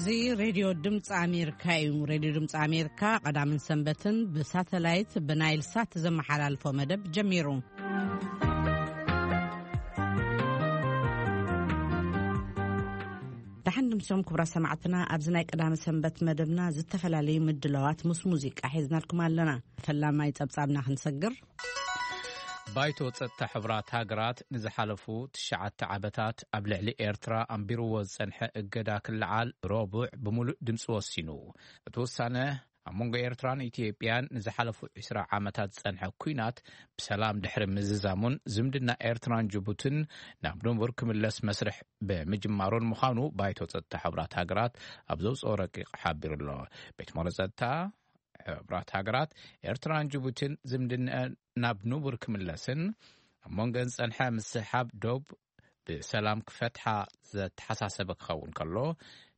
እዚ ሬድዮ ድምፂ ኣሜሪካ እዩ። ሬድዮ ድምፂ ኣሜሪካ ቀዳምን ሰንበትን ብሳተላይት ብናይል ሳት ዘመሓላልፎ መደብ ጀሚሩ። ደሓን ድምሶም ክቡራት ሰማዕትና፣ ኣብዚ ናይ ቀዳመ ሰንበት መደብና ዝተፈላለዩ ምድላዋት ምስ ሙዚቃ ሒዝናልኩም ኣለና። ፈላማይ ጸብጻብና ክንሰግር። ባይቶ ጸጥታ ሕቡራት ሃገራት ንዝሓለፉ ትሽዓተ ዓመታት ኣብ ልዕሊ ኤርትራ ኣንቢርዎ ዝጸንሐ እገዳ ክለዓል ረቡዕ ብምሉእ ድምፂ ወሲኑ። እቲ ውሳነ ኣብ መንጎ ኤርትራን ኢትዮጵያን ንዝሓለፉ ዕስራ ዓመታት ዝጸንሐ ኲናት ብሰላም ድሕሪ ምዝዛሙን ዝምድና ኤርትራን ጅቡትን ናብ ንቡር ክምለስ መስርሕ ብምጅማሩን ምዃኑ ባይቶ ጸጥታ ሕቡራት ሃገራት ኣብ ዘውፅኦ ረቂቕ ሓቢሩ ኣሎ። ቤት ምኽሪ ጸጥታ ሕቡራት ሃገራት ኤርትራን ጅቡትን ዝምድነአን ናብ ንቡር ክምለስን ኣብ መንጎን ዝጸንሐ ምስሕሓብ ዶብ ብሰላም ክፈትሓ ዘተሓሳሰበ ክኸውን ከሎ፣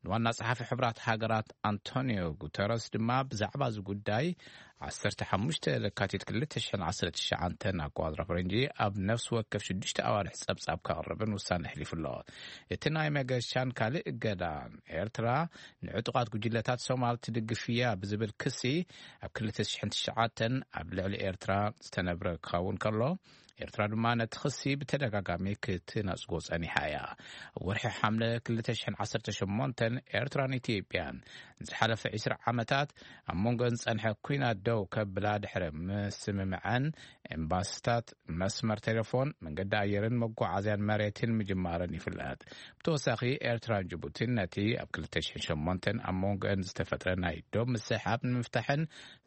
ንዋና ጸሓፊ ሕቡራት ሃገራት ኣንቶኒዮ ጉተረስ ድማ ብዛዕባ እዚ ጉዳይ ዓሰርተ ሓሙሽተ ለካቲት ክልተ ሽሕን ዓሰርተ ትሽዓተን ኣቆጻጽራ ፈረንጂ ኣብ ነፍሲ ወከፍ ሽዱሽተ ኣዋርሕ ጸብጻብ ከቕርብን ውሳነ ኣሕሊፉ ኣሎ። እቲ ናይ መገሻን ካልእ እገዳን ኤርትራ ንዕጡቓት ጉጅለታት ሶማል ትድግፍ እያ ብዝብል ክሲ ኣብ ክልተ ሽሕን ትሽዓተን ኣብ ልዕሊ ኤርትራ ዝተነብረ ክኸውን ከሎ፣ ኤርትራ ድማ ነቲ ክሲ ብተደጋጋሚ ክትነጽጎ ጸኒሓ እያ። ኣብ ወርሒ ሓምለ ክልተ ሽሕን ዓሰርተ ሸሞንተን ኤርትራን ኢትዮጵያን ንዝሓለፈ ዕስራ ዓመታት ኣብ መንጎን ዝጸንሐ ኲናት ደው ከብላ ድሕሪ ምስምምዐን፣ ኤምባሲታት፣ መስመር ቴሌፎን፣ መንገዲ ኣየርን መጓዓዝያን መሬትን ምጅማረን ይፍለጥ። ብተወሳኺ፣ ኤርትራን ጅቡቲን ነቲ ኣብ ክልተ ሽሕን ሸሞንተን ኣብ መንጎን ዝተፈጥረ ናይ ዶብ ምስሕሓብ ንምፍታሕን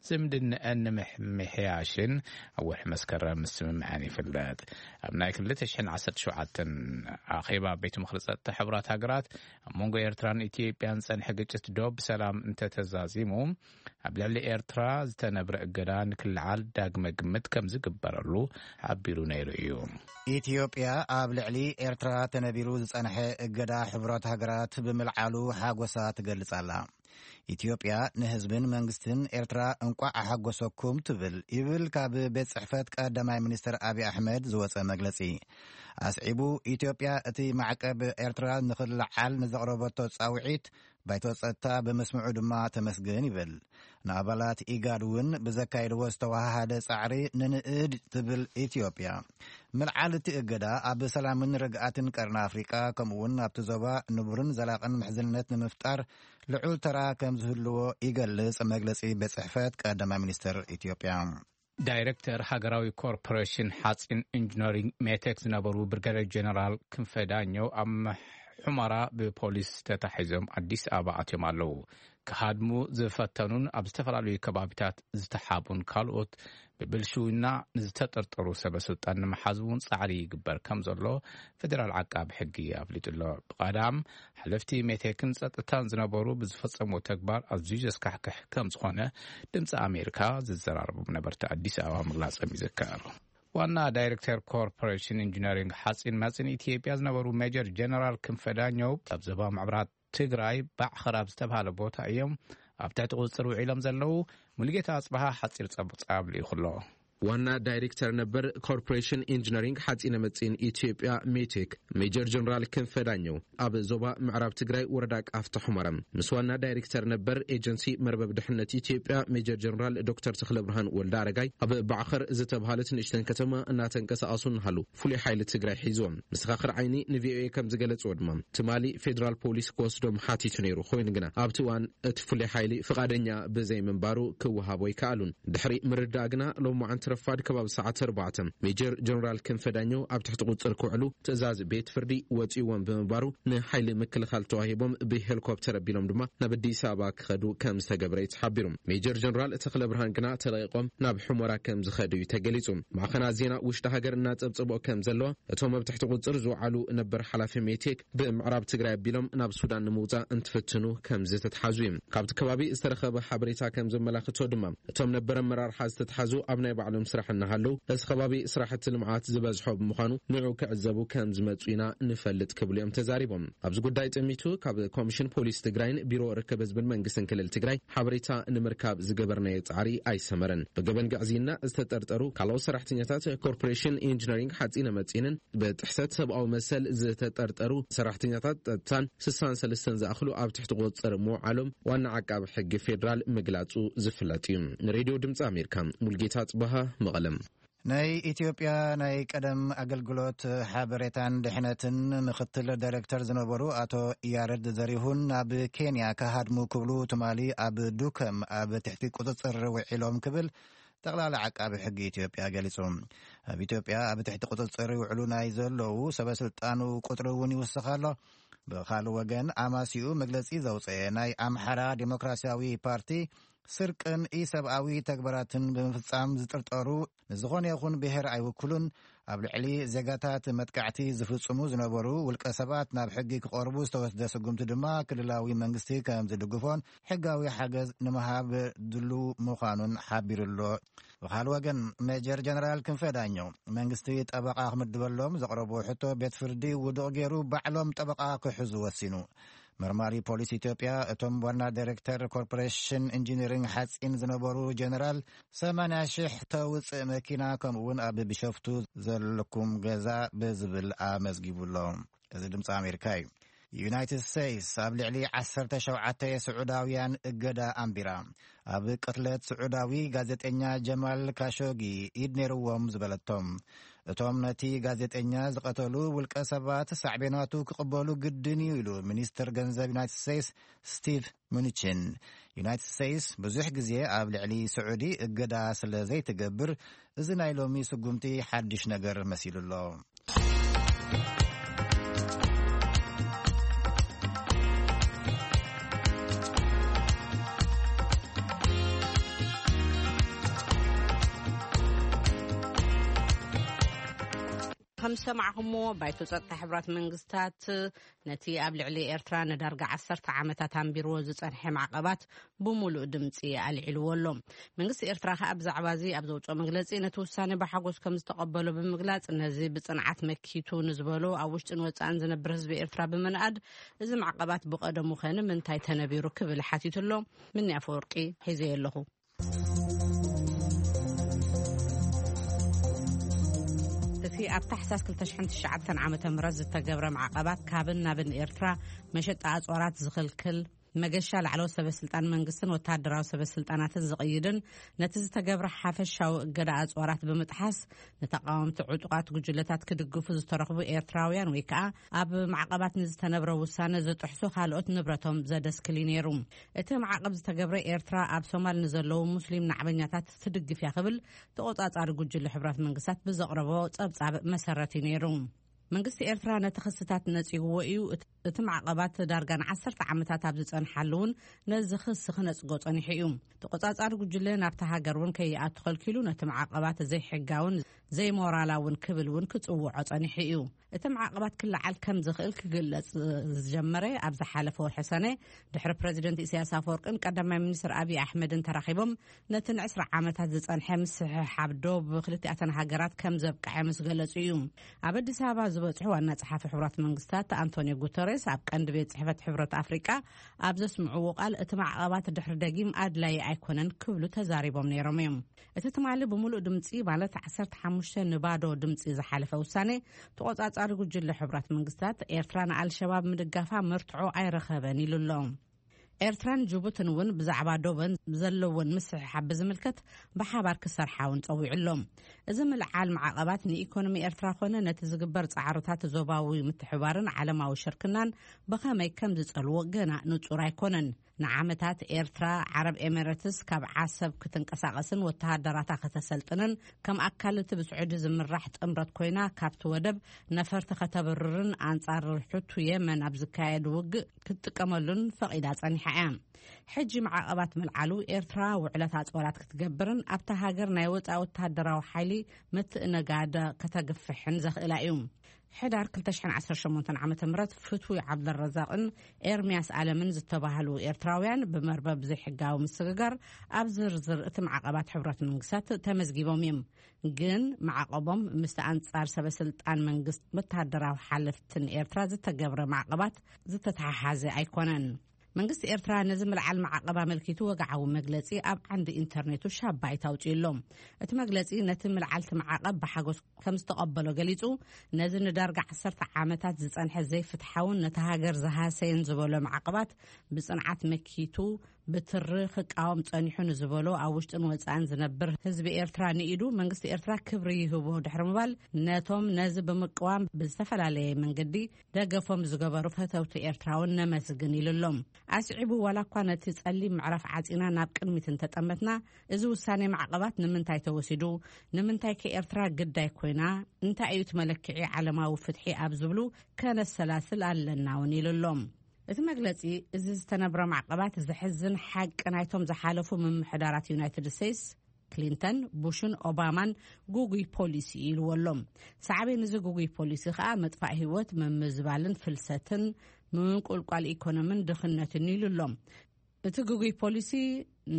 ዝምድነአን ንምሕያሽን ኣብ ወርሒ መስከረም ምስምምዐን ይፍለጥ። ኣብ ናይ ክልተ ሽሕን ዓሰርተ ሸውዓተን ኣኼባ ቤት ምኽሪ ጸጥታ ሕቡራት ሃገራት፣ ኣብ መንጎ ኤርትራን ኢትዮጵያን ዝጸንሐ ግጭት ዶብ ብሰላም እንተተዛዚሙ፣ ኣብ ልዕሊ ኤርትራ ዝተነብረ እገዳ ንክልዓል ዳግመ ግምት ከም ዝግበረሉ ሓቢሩ ነይሩ እዩ። ኢትዮጵያ ኣብ ልዕሊ ኤርትራ ተነቢሩ ዝጸንሐ እገዳ ሕቡራት ሃገራት ብምልዓሉ ሓጎሳ ትገልጽ ኣላ። ኢትዮጵያ ንህዝብን መንግስትን ኤርትራ እንቋዕ ኣሓጎሰኩም ትብል፣ ይብል ካብ ቤት ጽሕፈት ቀዳማይ ሚኒስትር ኣብይ ኣሕመድ ዝወጸ መግለጺ። ኣስዒቡ፣ ኢትዮጵያ እቲ ማዕቀብ ኤርትራ ንኽልዓል ንዘቕረበቶ ጻውዒት ባይቶ ጸጥታ ብምስምዑ ድማ ተመስግን ይብል። ንኣባላት ኢጋድ እውን ብዘካየድዎ ዝተወሃሃደ ጻዕሪ ንንእድ ትብል ኢትዮጵያ። ምልዓል እቲ እገዳ ኣብ ሰላምን ርግኣትን ቀርኒ ኣፍሪቃ፣ ከምኡ እውን ኣብቲ ዞባ ንቡርን ዘላቕን ምሕዝነት ንምፍጣር ልዑል ተራ ከም ዝህልዎ ይገልጽ መግለጺ ቤት ጽሕፈት ቀዳማይ ሚኒስትር ኢትዮጵያ። ዳይሬክተር ሃገራዊ ኮርፖሬሽን ሓፂን ኢንጂነሪንግ ሜቴክ ዝነበሩ ብርጋዴር ጀነራል ክንፈ ዳኘው ኣብ ሑመራ ብፖሊስ ተታሒዞም ኣዲስ ኣበባ ኣትዮም ኣለዉ። ክሃድሙ ዝፈተኑን ኣብ ዝተፈላለዩ ከባቢታት ዝተሓቡን ካልኦት ብብልሽውና ንዝተጠርጠሩ ሰበ ስልጣን ንምሓዝ እውን ጻዕሪ ይግበር ከም ዘሎ ፌደራል ዓቃቢ ሕጊ ኣፍሊጡ ኣሎ። ብቐዳም ሓለፍቲ ሜቴክን ጸጥታን ዝነበሩ ብዝፈጸምዎ ተግባር ኣዝዩ ዘስካሕክሕ ከም ዝኾነ ድምፂ ኣሜሪካ ዝዘራረቦም ነበርቲ ኣዲስ ኣበባ ምግላጾም ይዝከር። ዋና ዳይሬክተር ኮርፖሬሽን ኢንጂነሪንግ ሓፂን መፂን ኢትዮጵያ ዝነበሩ ሜጀር ጀነራል ክንፈ ዳኘው ኣብ ዞባ ምዕራብ ትግራይ ባዕኸር ኣብ ዝተባሃለ ቦታ እዮም ኣብ ትሕቲ ቁፅፅር ውዒሎም ዘለዉ። ሙሉጌታ ኣፅበሃ ሓፂር ጸብጻብ ልኢኹ ኣሎ። ዋና ዳይሬክተር ነበር ኮርፖሬሽን ኢንጂነሪንግ ሓፂነ መፂን ኢትዮጵያ ሜቴክ ሜጀር ጀነራል ክንፈ ዳኘው ኣብ ዞባ ምዕራብ ትግራይ ወረዳ ቃፍታ ሑመራ ምስ ዋና ዳይሬክተር ነበር ኤጀንሲ መርበብ ድሕነት ኢትዮጵያ ሜጀር ጀነራል ዶክተር ተኽለ ብርሃን ወልደ ኣረጋይ ኣብ ባዕኸር ዝተባሃለት ንእሽተን ከተማ እናተንቀሳቐሱ እናሃለዉ ፍሉይ ሓይሊ ትግራይ ሒዝዎም። መሰኻኽር ዓይኒ ንቪኦኤ ከም ዝገለፅዎ ድማ፣ ትማሊ ፌደራል ፖሊስ ክወስዶም ሓቲቱ ነይሩ። ኮይኑ ግና ኣብቲ እዋን እቲ ፍሉይ ሓይሊ ፍቓደኛ ብዘይምንባሩ ክወሃቦ ኣይከኣሉን። ድሕሪ ምርዳእ ግና ሎማዓንቲ ረፋድ ከባቢ ሰዓት ኣርባዕተ ሜጀር ጀነራል ክንፈ ዳኘው ኣብ ትሕቲ ቁፅር ክውዕሉ ትእዛዝ ቤት ፍርዲ ወፂእዎም ብምንባሩ፣ ንሓይሊ ምክልኻል ተዋሂቦም ብሄሊኮፕተር ኣቢሎም ድማ ናብ ኣዲስ ኣበባ ክኸዱ ከም ዝተገብረ እዩ ተሓቢሩ። ሜጀር ጀነራል ተኽለ ብርሃን ግና ተለቒቖም ናብ ሑመራ ከም ዝኸዱ እዩ ተገሊጹ። ማዕኸናት ዜና ውሽጢ ሃገር እናጸብጸብኦ ከም ዘለዋ፣ እቶም ኣብ ትሕቲ ቁጽር ዝወዓሉ ነበር ሓላፊ ሜቴክ ብምዕራብ ትግራይ ኣቢሎም ናብ ሱዳን ንምውጻእ እንትፍትኑ ከም ዝተትሓዙ እዩ። ካብቲ ከባቢ ዝተረኸበ ሓበሬታ ከም ዘመላኽቶ ድማ፣ እቶም ነበር ኣመራርሓ ዝተትሓዙ ኣብ ናይ ባዕሎም ምስራሕ እናሃለዉ፣ እዚ ከባቢ ስራሕቲ ልምዓት ዝበዝሖ ብምዃኑ ንዑ ክዕዘቡ ከም ዝመፁ ኢና ንፈልጥ ክብሉ እዮም ተዛሪቦም። ኣብዚ ጉዳይ ጥሚቱ ካብ ኮሚሽን ፖሊስ ትግራይን ቢሮ ርክብ ህዝብን መንግስትን ክልል ትግራይ ሓበሬታ ንምርካብ ዝገበርናዮ ፃዕሪ ኣይሰመረን። ብገበን ግዕዝይና ዝተጠርጠሩ ካልኦት ሰራሕተኛታት ኮርፖሬሽን ኢንጂነሪንግ ሓፂነ መፂንን ብጥሕሰት ሰብኣዊ መሰል ዝተጠርጠሩ ሰራሕተኛታት ጸጥታን ስሳን ሰለስተን ዝኣኽሉ ኣብ ትሕቲ ቁጽጽር ምውዓሎም ዋና ዓቃቢ ሕጊ ፌዴራል ምግላጹ ዝፍለጥ እዩ። ንሬድዮ ድምጺ ኣሜሪካ ሙልጌታ ጽበሃ መቐለም። ናይ ኢትዮጵያ ናይ ቀደም ኣገልግሎት ሓበሬታን ድሕነትን ምክትል ዳይሬክተር ዝነበሩ ኣቶ ያረድ ዘሪሁን ናብ ኬንያ ክሃድሙ ክብሉ ትማሊ ኣብ ዱከም ኣብ ትሕቲ ቁጽጽር ውዒሎም ክብል ጠቕላላ ዓቃቢ ሕጊ ኢትዮጵያ ገሊጹ። ኣብ ኢትዮጵያ ኣብ ትሕቲ ቁጽጽር ይውዕሉ ናይ ዘለዉ ሰበ ስልጣኑ ቁጽሪ እውን ይውስኽ ኣሎ። ብኻልእ ወገን ኣማሲኡ መግለጺ ዘውፅአ ናይ ኣምሓራ ዲሞክራሲያዊ ፓርቲ ስርቅን ኢሰብኣዊ ተግባራትን ብምፍጻም ዝጥርጠሩ ንዝኾነ ይኹን ብሔር ኣይውክሉን፣ ኣብ ልዕሊ ዜጋታት መጥቃዕቲ ዝፍጽሙ ዝነበሩ ውልቀ ሰባት ናብ ሕጊ ክቐርቡ ዝተወስደ ስጉምቲ ድማ ክልላዊ መንግስቲ ከም ዝድግፎን ሕጋዊ ሓገዝ ንምሃብ ድሉ ምዃኑን ሓቢሩ ኣሎ። ብኻል ወገን ሜጀር ጀነራል ክንፈ ዳኘው መንግስቲ ጠበቓ ክምድበሎም ዘቕረቡ ሕቶ ቤት ፍርዲ ውዱቕ ገይሩ ባዕሎም ጠበቓ ክሕዙ ወሲኑ። መርማሪ ፖሊስ ኢትዮጵያ እቶም ዋና ዳይሬክተር ኮርፖሬሽን ኢንጂነሪንግ ሓፂን ዝነበሩ ጀነራል ሰማንያ ሺሕ ተውፅእ መኪና ከምኡውን ኣብ ቢሾፍቱ ዘለኩም ገዛ ብዝብል ኣመዝጊቡ ኣሎ። እዚ ድምፂ ኣሜሪካ እዩ። ዩናይትድ ስቴትስ ኣብ ልዕሊ ዓሰርተ ሸውዓተ ስዑዳውያን እገዳ ኣንቢራ። ኣብ ቅትለት ስዑዳዊ ጋዜጠኛ ጀማል ካሾጊ ኢድ ነይርዎም ዝበለቶም እቶም ነቲ ጋዜጠኛ ዝቐተሉ ውልቀ ሰባት ሳዕቤናቱ ክቕበሉ ግድን እዩ ኢሉ ሚኒስትር ገንዘብ ዩናይትድ ስቴትስ ስቲቭ ሙኒችን። ዩናይትድ ስቴትስ ብዙሕ ግዜ ኣብ ልዕሊ ስዑዲ እገዳ ስለ ዘይትገብር እዚ ናይ ሎሚ ስጉምቲ ሓድሽ ነገር መሲሉ ኣሎ። ከም ዝሰማዕኹምዎ፣ ባይቶ ጸጥታ ሕቡራት መንግስታት ነቲ ኣብ ልዕሊ ኤርትራ ንዳርጋ ዓሰርተ ዓመታት ኣንቢርዎ ዝጸንሐ ማዕቐባት ብምሉእ ድምጺ ኣልዒልዎ ኣሎ። መንግስቲ ኤርትራ ከኣ ብዛዕባ እዚ ኣብ ዘውጽኦ መግለጺ፣ ነቲ ውሳነ ብሓጎስ ከም ዝተቐበሎ ብምግላጽ፣ ነዚ ብጽንዓት መኪቱ ንዝበሎ ኣብ ውሽጥን ወጻእን ዝነብር ህዝቢ ኤርትራ ብምንኣድ፣ እዚ ማዕቐባት ብቐደሙ ከ ንምንታይ ተነቢሩ ክብል ሓቲቱ ኣሎ። ምኒ ኣፈወርቂ ሒዘዮ ኣለኹ። እቲ ኣብ ታሕሳስ ክልተ ሽሕን ትሽዓተን ዓመተ ምህረት ዝተገብረ ማዕቐባት ካብን ናብን ኤርትራ መሸጣ ኣጽዋራት ዝኽልክል፣ መገሻ ላዕለዎት ሰበ ስልጣን መንግስትን ወተሃደራዊ ሰበ ስልጣናትን ዝቕይድን፣ ነቲ ዝተገብረ ሓፈሻዊ እገዳ ኣጽዋራት ብምጥሓስ ንተቓወምቲ ዕጡቓት ጉጅለታት ክድግፉ ዝተረኽቡ ኤርትራውያን ወይ ከኣ ኣብ ማዕቐባት ንዝተነብረ ውሳነ ዝጥሕሱ ካልኦት ንብረቶም ዘደስክል እዩ ነይሩ። እቲ ማዕቐብ ዝተገብረ ኤርትራ ኣብ ሶማል ንዘለዉ ሙስሊም ናዕበኛታት ትድግፍ እያ ክብል ተቖጻጻሪ ጉጅለ ሕቡራት መንግስታት ብዘቕረቦ ጸብጻብ መሰረት እዩ ነይሩ። መንግስቲ ኤርትራ ነቲ ክስታት ነጺግዎ እዩ። እቲ፣ እቲ ማዕቐባት ዳርጋ ንዓሰርተ ዓመታት ኣብ ዝጸንሓሉ እውን ነዚ ክሲ ክነጽጎ ጸኒሑ እዩ። ተቖጻጻሪ ጉጅለ ናብታ ሃገር እውን ከይኣቱ ከልኪሉ ነቲ ማዕቐባት ዘይሕጋውን ዘይሞራላውን ክብል እውን ክጽውዖ ጸኒሑ እዩ። እቲ ማዕቐባት ክለዓል ከም ዝኽእል ክግለጽ ዝጀመረ ኣብ ዝሓለፈ ወርሒ ሰነ ድሕሪ ፕረዚደንት ኢሳያስ ኣፈወርቅን ቀዳማይ ሚኒስትር ኣብይ ኣሕመድን ተራኺቦም ነቲ ንዕስራ ዓመታት ዝጸንሐ ምስሕሓብ ዶብ ክልቲኣተን ሃገራት ከም ዘብቅዐ ምስ ገለጹ እዩ። ኣብ ኣዲስ ኣበባ ዝበጽሑ ዋና ጸሓፊ ሕቡራት መንግስታት ኣንቶኒዮ ጉተሬስ ኣብ ቀንዲ ቤት ጽሕፈት ሕብረት ኣፍሪቃ ኣብ ዘስምዕዎ ቃል፣ እቲ ማዕቐባት ድሕሪ ደጊም ኣድላዪ ኣይኮነን ክብሉ ተዛሪቦም ነይሮም እዮም። እቲ ትማሊ ብምሉእ ድምጺ፣ ማለት ዓሰርተ ሓሙሽተ ንባዶ ድምጺ ዝሓለፈ ውሳኔ፣ ተቖጻጻሪ ጉጅለ ሕቡራት መንግስታት፣ ኤርትራ ንኣልሸባብ ምድጋፋ መርትዖ ኣይረኸበን ኢሉ ኣሎ። ኤርትራን ጅቡትን እውን ብዛዕባ ዶበን ዘለወን ምስሕሓብ ብዝምልከት ብሓባር ክሰርሓ እውን ጸዊዑ ኣሎ። እዚ ምልዓል ማዕቐባት ንኢኮኖሚ ኤርትራ ኮነ ነቲ ዝግበር ጻዕርታት ዞባዊ ምትሕባርን ዓለማዊ ሽርክናን ብኸመይ ከም ዝጸልዎ ገና ንጹር ኣይኮነን። ንዓመታት ኤርትራ፣ ዓረብ ኤሚሬትስ ካብ ዓሰብ ክትንቀሳቐስን ወተሃደራታ ከተሰልጥንን ከም ኣካል እቲ ብስዑዲ ዝምራሕ ጥምረት ኮይና ካብቲ ወደብ ነፈርቲ ከተብርርን ኣንጻር ሕቱ የመን ኣብ ዝካየድ ውግእ ክትጥቀመሉን ፈቒዳ ጸኒሓ እያ። ሕጂ ማዕቐባት ምልዓሉ ኤርትራ ውዕለት ኣጽዋራት ክትገብርን ኣብታ ሃገር ናይ ወጻኢ ወተሃደራዊ ሓይሊ ምትእንጋድ ከተግፍሕን ዘኽእላ እዩ። ሕዳር ክልተ ሽሕን ዓሰርተ ሸሞንተን ዓመተ ምህረት ፍትዊ ዓብደረዛቕን ኤርምያስ ኣለምን ዝተባህሉ ኤርትራ ኤርትራውያን ብመርበብ ዘይሕጋዊ ምስግጋር ኣብ ዝርዝር እቲ ማዕቐባት ሕቡራት መንግስታት ተመዝጊቦም እዮም። ግን ማዕቐቦም ምስቲ ኣንጻር ሰበ ስልጣን መንግስት ወተሃደራዊ ሓለፍትን ኤርትራ ዝተገብረ ማዕቐባት ዝተተሓሓዘ ኣይኮነን። መንግስቲ ኤርትራ ነዚ ምልዓል ማዕቐብ ኣመልኪቱ ወግዓዊ መግለጺ ኣብ ዓንዲ ኢንተርኔቱ ሻባይት ኣውጺኡ ኣሎ። እቲ መግለጺ ነቲ ምልዓልቲ ማዕቐብ ብሓጎስ ከም ዝተቐበሎ ገሊጹ፣ ነዚ ንዳርጋ ዓሰርተ ዓመታት ዝጸንሐ ዘይፍትሓውን ነቲ ሃገር ዝሃሰየን ዝበሎ ማዕቐባት ብጽንዓት መኪቱ ብትሪ ክቃወም ጸኒሑ ንዝበሎ ኣብ ውሽጥን ወጻእን ዝነብር ህዝቢ ኤርትራ ንኢዱ መንግስቲ ኤርትራ ክብሪ ይህቦ ድሕሪ ምባል፣ ነቶም ነዚ ብምቅዋም ብዝተፈላለየ መንገዲ ደገፎም ዝገበሩ ፈተውቲ ኤርትራውን ነመስግን ኢሉ ኣሎ። ኣስዒቡ፣ ዋላ እኳ ነቲ ጸሊም ምዕራፍ ዓጺና ናብ ቅድሚት እንተጠመትና፣ እዚ ውሳኔ ማዕቐባት ንምንታይ ተወሲዱ? ንምንታይ ከ ኤርትራ ግዳይ ኮይና? እንታይ እዩ እቲ መለክዒ ዓለማዊ ፍትሒ ኣብ ዝብሉ ከነሰላስል ኣለና እውን ኢሉ ኣሎ። እቲ መግለጺ፣ እዚ ዝተነብረ ማዕቐባት ዘሕዝን ሓቂ ናይቶም ዝሓለፉ ምምሕዳራት ዩናይትድ ስቴትስ፣ ክሊንተን፣ ቡሽን ኦባማን ጉጉይ ፖሊሲ ኢልዎ ኣሎ። ሳዕቤን እዚ ጉጉይ ፖሊሲ ከኣ መጥፋእ ህይወት፣ ምምዝባልን ፍልሰትን፣ ምንቁልቋል ኢኮኖምን ድኽነትን ኢሉ ኣሎ። እቲ ግጉይ ፖሊሲ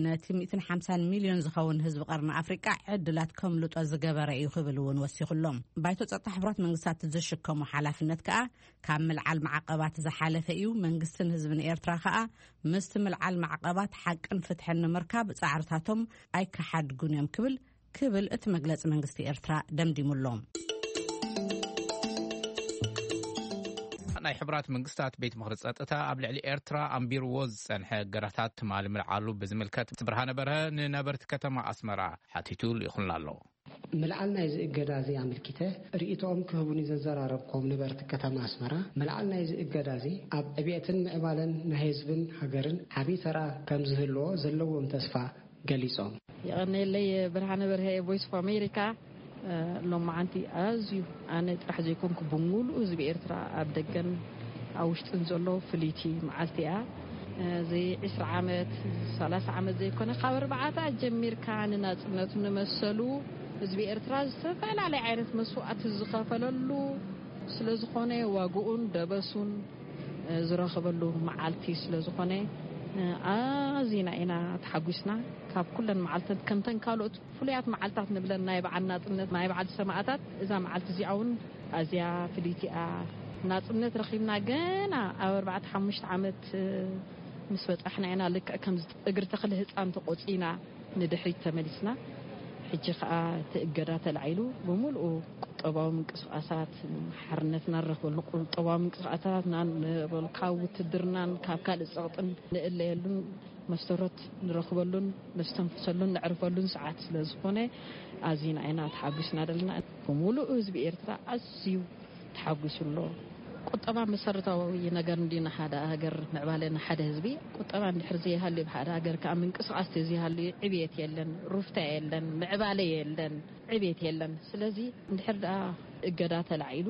ነቲ ሚእትን ሓምሳን ሚልዮን ዝኸውን ህዝቢ ቀርኒ ኣፍሪቃ ዕድላት ከምልጦ ዝገበረ እዩ ክብል እውን ወሲኹሎም። ባይቶ ጸጥታ ሕቡራት መንግስታት ዝሽከሞ ሓላፍነት ከኣ ካብ ምልዓል ማዕቐባት ዝሓለፈ እዩ። መንግስትን ህዝብን ኤርትራ ከኣ ምስቲ ምልዓል ማዕቐባት ሓቅን ፍትሕን ንምርካብ ጻዕርታቶም ኣይከሓድጉን እዮም ክብል ክብል እቲ መግለጺ መንግስቲ ኤርትራ ደምዲሙሎም። ናይ ሕቡራት መንግስታት ቤት ምኽሪ ጸጥታ ኣብ ልዕሊ ኤርትራ ኣንቢርዎ ዝጸንሐ እገዳታት ትማሊ ምልዓሉ ብዝምልከት ብርሃነ በርሀ ንነበርቲ ከተማ ኣስመራ ሓቲቱ ልኢኹልና ኣሎ። ምልዓል ናይዚ እገዳ እዚ ኣመልኪተ ርእይቶኦም ክህቡኒ ዘዘራረብኮም ነበርቲ ከተማ ኣስመራ፣ ምልዓል ናይዚ እገዳ እዚ ኣብ ዕብየትን ምዕባለን ናይ ህዝብን ሃገርን ዓብዪ ተራ ከም ዝህልዎ ዘለዎም ተስፋ ገሊጾም። የቐነየለይ። ብርሃነ በርሀ፣ ቮይስ ኦፍ ኣሜሪካ። ሎማዓንቲ ኣዝዩ ኣነ ጥራሕ ዘይኮንኩ ብምሉእ ህዝቢ ኤርትራ ኣብ ደገን ኣብ ውሽጥን ዘሎ ፍልይቲ መዓልቲ እያ። እዚ ዕስራ ዓመት፣ ሰላሳ ዓመት ዘይኮነ፣ ካብ ኣርባዕታ ጀሚርካ ንናጽነቱ ንመሰሉ ህዝቢ ኤርትራ ዝተፈላለየ ዓይነት መስዋእቲ ዝኸፈለሉ ስለ ዝኾነ፣ ዋግኡን ደበሱን ዝረኸበሉ መዓልቲ ስለ ዝኾነ፣ ኣዚና ኢና ተሓጒስና። ካብ ኩለን መዓልታት፣ ከምተን ካልኦት ፍሉያት መዓልታት ንብለን ናይ በዓል ናጽነት፣ ናይ በዓል ሰማእታት፣ እዛ መዓልቲ እዚኣ እውን ኣዝያ ፍልይቲ እያ። ናጽነት ረኺብና ገና ኣብ ኣርባዕተ ሓሙሽተ ዓመት ምስ በጻሕና ኢና ልክዕ ከም እግሪ ተኽሊ ህጻን ተቖጺና ንድሕሪት ተመሊስና። ሕጂ ከኣ እቲ እገዳ ተላዒሉ ብምሉኡ ቁጠባዊ ምንቅስቓሳት፣ ሓርነትና ንረኽበሉ ቁጠባዊ ምንቅስቓሳትና ንበሉ፣ ካብ ውትድርናን ካብ ካልእ ጸቕጥን ንእለየሉን መሰረት ንረኽበሉን ነስተንፍሰሉን ነዕርፈሉን ሰዓት ስለ ዝኾነ ኣዚና ኢና ተሓጒስና ዘለና። ብምሉእ ህዝቢ ኤርትራ ኣዝዩ ተሓጒሱ ኣሎ። ቁጠባ መሰረታዊ ነገር እንዲ ንሓደ ሃገር ምዕባለ ንሓደ ህዝቢ። ቁጠባ እንድሕር ዘይሃልዩ፣ ብሓደ ሃገር ከኣ ምንቅስቓስ ተዘይሃልዩ ዕብየት የለን፣ ሩፍታ የለን፣ ምዕባለ የለን፣ ዕብየት የለን። ስለዚ እንድሕር ደኣ እገዳ ተላዒሉ፣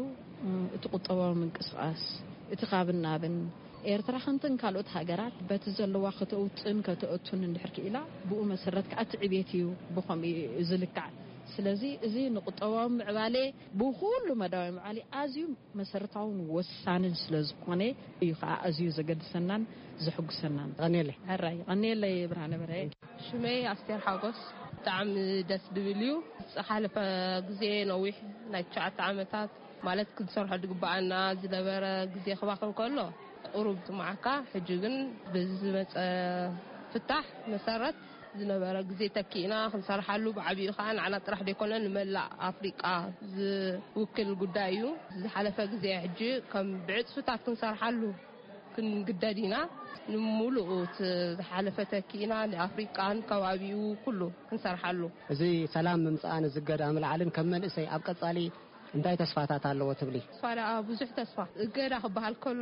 እቲ ቁጠባዊ ምንቅስቓስ፣ እቲ ካብን ናብን፣ ኤርትራ ከምተን ካልኦት ሃገራት በቲ ዘለዋ ከተውፅእን ከተእቱን እንድሕር ክኢላ፣ ብኡ መሰረት ከዓ እቲ ዕብየት እዩ ብኸምኡ እዩ ዝልካዕ። ስለዚ እዚ ንቁጠባዊ ምዕባለ፣ ብኹሉ መዳዊ ምዕባለ ኣዝዩ መሰረታውን ወሳንን ስለ ዝኾነ እዩ ከዓ ኣዝዩ ዘገድሰናን ዘሕጉሰናን። ቀኔለ። ሕራይ፣ ቀኔለይ ብርሃነ በርሀ። ሽመይ ኣስቴር ሓጎስ። ብጣዕሚ ደስ ዝብል እዩ። ዝሓለፈ ግዜ ነዊሕ ናይ ትሽዓተ ዓመታት ማለት ክንሰርሖ ዝግበኣና ዝነበረ ግዜ ክባኽን ከሎ ቁሩብ ትማዓካ። ሕጂ ግን በዚ ዝመጸ ፍታሕ መሰረት ዝነበረ ግዜ ተኪእና ክንሰርሓሉ፣ ብዓቢኡ ከኣ ንዓና ጥራሕ ዘይኮነ ንመላእ ኣፍሪቃ ዝውክል ጉዳይ እዩ። ዝሓለፈ ግዜ ሕጂ ከም ብዕጽፍታት ክንሰርሓሉ ክንግደድ ኢና። ንምሉኡ እቲ ዝሓለፈ ተኪእና ንኣፍሪቃን ከባቢኡ ኩሉ ክንሰርሓሉ። እዚ ሰላም ምምጻእን እዚ እገዳ ምልዓልን ከም መንእሰይ ኣብ ቀጻሊ እንታይ ተስፋታት ኣለዎ ትብሊ? ተስፋ ደኣ ብዙሕ ተስፋ። እገዳ ክበሃል ከሎ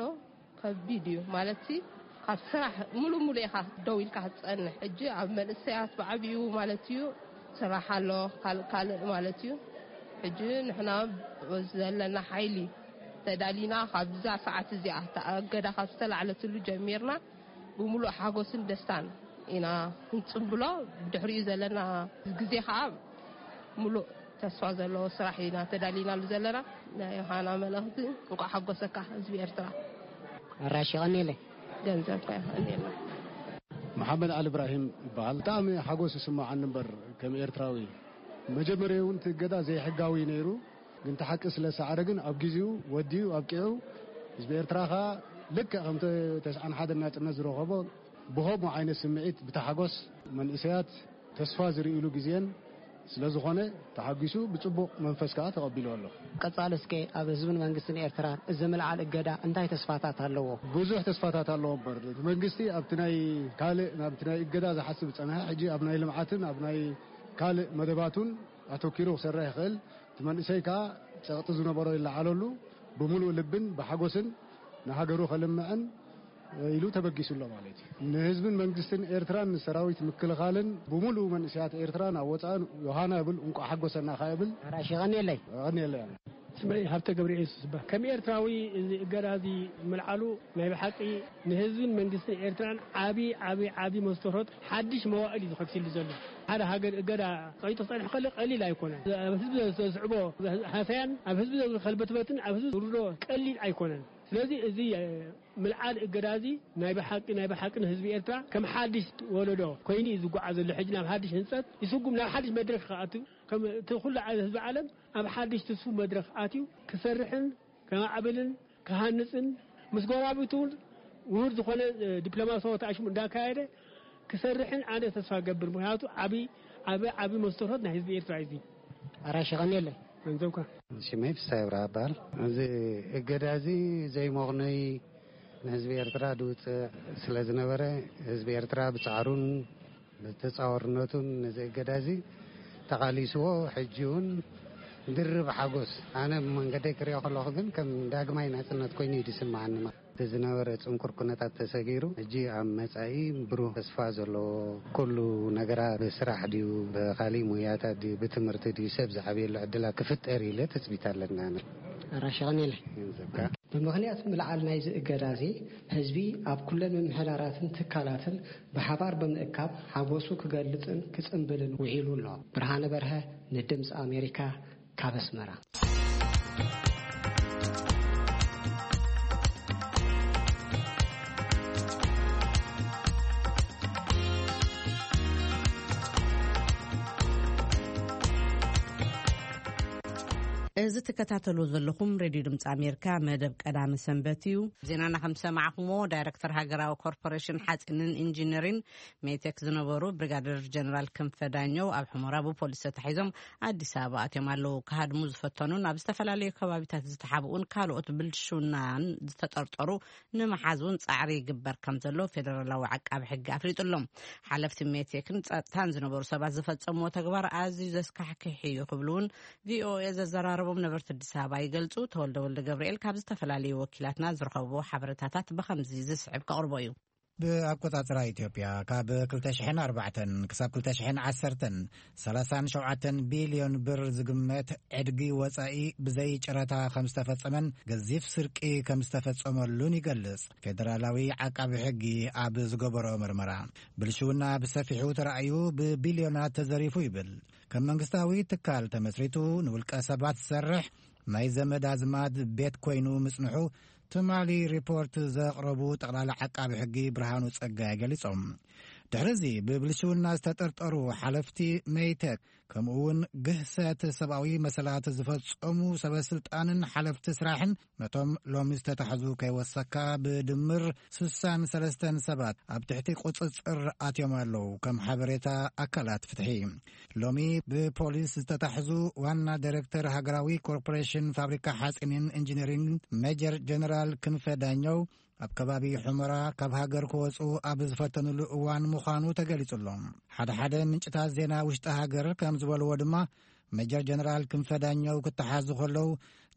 ከቢድ እዩ። ማለትሲ ካብ ስራሕ ሙሉእ ሙሉእ ኢኻ ደው ኢልካ ክትጸንሕ። ሕጂ ኣብ መንእሰያት ብዓቢኡ ማለት እዩ ስራሕ ኣሎ፣ ካልእ ካልእ ማለት እዩ። ሕጂ ንሕና ዘለና ሓይሊ ተዳሊና ካብዛ ሰዓት እዚኣ፣ እታ እገዳ ካብ ዝተላዕለትሉ ጀሚርና ብምሉእ ሓጎስን ደስታን ኢና ክንጽንብሎ። ብድሕሪኡ ዘለና ግዜ ኸኣ ምሉእ ተስፋ ዘለዎ ስራሕ ኢና ተዳሊናሉ ዘለና። ናይ ዮሃና መልእኽቲ፣ እንቋዕ ሓጎሰካ ህዝቢ ኤርትራ። ኣራሽ፣ የቐንየለይ። ገንዘብካ የቐንየልና። መሓመድ ዓሊ እብራሂም ይበሃል። ብጣዕሚ ሓጎስ ይስማዓኒ እምበር፣ ከም ኤርትራዊ፣ መጀመርያ እውን እቲ እገዳ ዘይሕጋዊ ነይሩ፣ ግን እቲ ሓቂ ስለ ሰዓረ ግን ኣብ ግዜኡ ወዲኡ ኣብቂዑ፣ ህዝቢ ኤርትራ ከኣ ልክዕ ከምቲ ተስዓን ሓደን ናጽነት ዝረኸቦ ብኸምኡ ዓይነት ስምዒት ብተሓጎስ መንእሰያት ተስፋ ዝርእይሉ ግዜን ስለ ዝኾነ ተሓጒሱ ብጽቡቕ መንፈስ ከኣ ተቐቢሉ ኣሎ። ቀጻሊ እስከ ኣብ ህዝብን መንግስትን ኤርትራ እዚ ምልዓል እገዳ እንታይ ተስፋታት ኣለዎ? ብዙሕ ተስፋታት ኣለዎ እምበር፣ እቲ መንግስቲ ኣብቲ ናይ ካልእ፣ ናብቲ ናይ እገዳ ዝሓስብ ዝጸንሐ፣ ሕጂ ኣብ ናይ ልምዓትን ኣብ ናይ ካልእ መደባቱን ኣተኪሩ ክሰርሕ ይኽእል። እቲ መንእሰይ ከኣ ጸቕጢ ዝነበሮ ይለዓለሉ፣ ብምሉእ ልብን ብሓጎስን ንሃገሩ ከልምዕን ኢሉ ተበጊሱ ኣሎ ማለት እዩ። ንህዝብን መንግስትን ኤርትራን ንሰራዊት ምክልኻልን ብምሉእ መንእሰያት ኤርትራ ናብ ወጻእን ዮሃና እብል፣ እንቋዕ ሓጎሰና ከኣ እብል። ኣራሽ ይቐንየለይ። ይቐንየለይ። ስመይ ሃብተ ገብረ ኢየሱስ ይበሃል። ከም ኤርትራዊ እዚ እገዳ እዚ ምልዓሉ ናይ ብሓቂ ንህዝብን መንግስትን ኤርትራን ዓቢ፣ ዓቢ፣ ዓቢ መስተርሆት ሓድሽ መዋእል እዩ ዝኸፍትሉ ዘሎ። ሓደ ሃገር እገዳ ቀይጡ ክጸንሕ ከሎ ቀሊል ኣይኮነን። ኣብ ህዝቢ ዘስዕቦ ሃሰያን ኣብ ህዝቢ ዘውርድ ከልበትበትን ኣብ ህዝቢ ዝውርዶ ቀሊል ኣይኮነን። ስለዚ እዚ፣ እ፣ ምልዓል እገዳ እዚ ናይ ብሓቂ፣ ናይ ብሓቂ ንህዝቢ ኤርትራ ከም ሓድሽ ወለዶ ኮይኑ እዩ ዝጓዓዝ ዘሎ። ሕጂ ናብ ሓድሽ ህንጸት ይስጉም፣ ናብ ሓድሽ መድረኽ ክኣቱ፣ ከም እቲ ኩሉ ዓ-፣ ህዝቢ ዓለም ኣብ ሓድሽ ትስፉ መድረኽ ኣትዩ ክሰርሕን ከማዕብልን ክሃንጽን ምስ ጎረባብቱ እውን ውሁድ ዝኾነ፣ እ፣ ዲፕሎማሲያዊ ተኣሽሙ እንዳካየደ ክሰርሕን ኣነ ተስፋ ገብር። ምኽንያቱ ዓቢ፣ ዓቢ፣ ዓቢ መስተርሆት ናይ ህዝቢ ኤርትራ እዩ እዚ። ኣራሽ ይቐንየለይ። ገንዘብካ። ሽመይ ፍስሃ ይብርሃ እበሃል። እዚ እገዳ እዚ ዘይመቕነይ ንህዝቢ ኤርትራ ድውፅእ ስለ ዝነበረ፣ ህዝቢ ኤርትራ ብጻዕሩን ብተጻዋርነቱን ነዚ እገዳ እዚ ተቓሊስዎ፣ ሕጂ እውን ድርብ ሓጎስ። ኣነ ብመንገደይ ክሪኦ ከለኹ ግን ከም ዳግማይ ናጽነት ኮይኑ እዩ ዝስምዓኒ። እቲ ዝነበረ ጽንኩር ኩነታት ተሰጊሩ፣ ሕጂ ኣብ መጻኢ ብሩህ ተስፋ ዘለዎ፣ ኩሉ ነገራት ብስራሕ ድዩ፣ ብኻሊእ ሞያታት ድዩ፣ ብትምህርቲ ድዩ፣ ሰብ ዝዓብየሉ ዕድላት ክፍጠር ኢለ ትጽቢት ኣለኒ ኣነ። ኣራሽ ይቐንየለይ። ገንዘብካ። ብምኽንያት ምልዓል ናይዚ እገዳ እዚ፣ ህዝቢ ኣብ ኩለን ምምሕዳራትን ትካላትን ብሓባር ብምእካብ ሓጎሱ ክገልጽን ክጽንብልን ውዒሉ ኣሎ። ብርሃነ በርሀ ንድምጺ ኣሜሪካ ካብ ኣስመራ። እዚ ትከታተሉ ዘለኹም ሬድዮ ድምፂ ኣሜሪካ መደብ ቀዳመ ሰንበት እዩ። ዜናና ከም ዝሰማዕኹምዎ፣ ዳይሬክተር ሃገራዊ ኮርፖሬሽን ሓፂንን ኢንጂነሪን ሜቴክ ዝነበሩ ብሪጋደር ጀነራል ክንፈ ዳኘው ኣብ ሑመራ ብፖሊስ ተታሒዞም ኣዲስ ኣበባ ኣትዮም ኣለዉ። ክሃድሙ ዝፈተኑን ኣብ ዝተፈላለዩ ከባቢታት ዝተሓብኡን ካልኦት ብልሽውናን ዝተጠርጠሩ ንምሓዝ እውን ጻዕሪ ይግበር ከም ዘሎ ፌደራላዊ ዓቃቢ ሕጊ ኣፍሊጡ ኣሎ። ሓለፍቲ ሜቴክን ጸጥታን ዝነበሩ ሰባት ዝፈጸምዎ ተግባር ኣዝዩ ዘስካሕክሕ እዩ ክብሉ እውን ቪኦኤ ዘዘራረቦም ነበርቲ ኣዲስ ኣበባ ይገልጹ። ተወልደ ወልደ ገብርኤል ካብ ዝተፈላለዩ ወኪላትና ዝረኸብዎ ሓበሬታታት ብኸምዚ ዝስዕብ ከቕርቦ እዩ። ብኣቆጻጽራ ኢትዮጵያ፣ ካብ ክልተ ሽሕን ኣርባዕተን ክሳብ ክልተ ሽሕን ዓሰርተን፣ ሰላሳን ሸውዓተን ቢልዮን ብር ዝግመት ዕድጊ ወጻኢ ብዘይ ጨረታ ከም ዝተፈጸመን ገዚፍ ስርቂ ከም ዝተፈጸመሉን ይገልጽ። ፌደራላዊ ዓቃቢ ሕጊ ኣብ ዝገበሮ ምርመራ፣ ብልሽውና ብሰፊሑ ተራእዩ ብቢልዮናት ተዘሪፉ ይብል። ከም መንግስታዊ ትካል ተመስሪቱ ንውልቀ ሰባት ዝሰርሕ ናይ ዘመድ ኣዝማድ ቤት ኮይኑ ምጽንሑ ትማሊ ሪፖርት ዘቕረቡ ጠቕላላ ዓቃቢ ሕጊ ብርሃኑ ጸጋይ ገሊጾም። ድሕሪ እዚ ብብልሽውና ዝተጠርጠሩ ሓለፍቲ ሜይቴክ ከምኡ እውን ግህሰት ሰብኣዊ መሰላት ዝፈጸሙ ሰበ ስልጣንን ሓለፍቲ ስራሕን ነቶም ሎሚ ዝተታሕዙ ከይወሰካ ብድምር ስሳን ሰለስተን ሰባት ኣብ ትሕቲ ቁጽጽር ኣትዮም ኣለዉ። ከም ሓበሬታ ኣካላት ፍትሒ፣ ሎሚ ብፖሊስ ዝተታሕዙ ዋና ዳይሬክተር ሃገራዊ ኮርፖሬሽን ፋብሪካ ሓጺንን ኢንጂነሪንግ ሜጀር ጀነራል ክንፈ ዳኘው ኣብ ከባቢ ሑመራ ካብ ሃገር ክወጹ ኣብ ዝፈተኑሉ እዋን ምዃኑ ተገሊጹ ኣሎ። ሓደ ሓደ ምንጭታት ዜና ውሽጢ ሃገር ከም ዝበልዎ ድማ፣ ሜጀር ጀነራል ክንፈ ዳኘው ክተሓዙ ከለዉ፣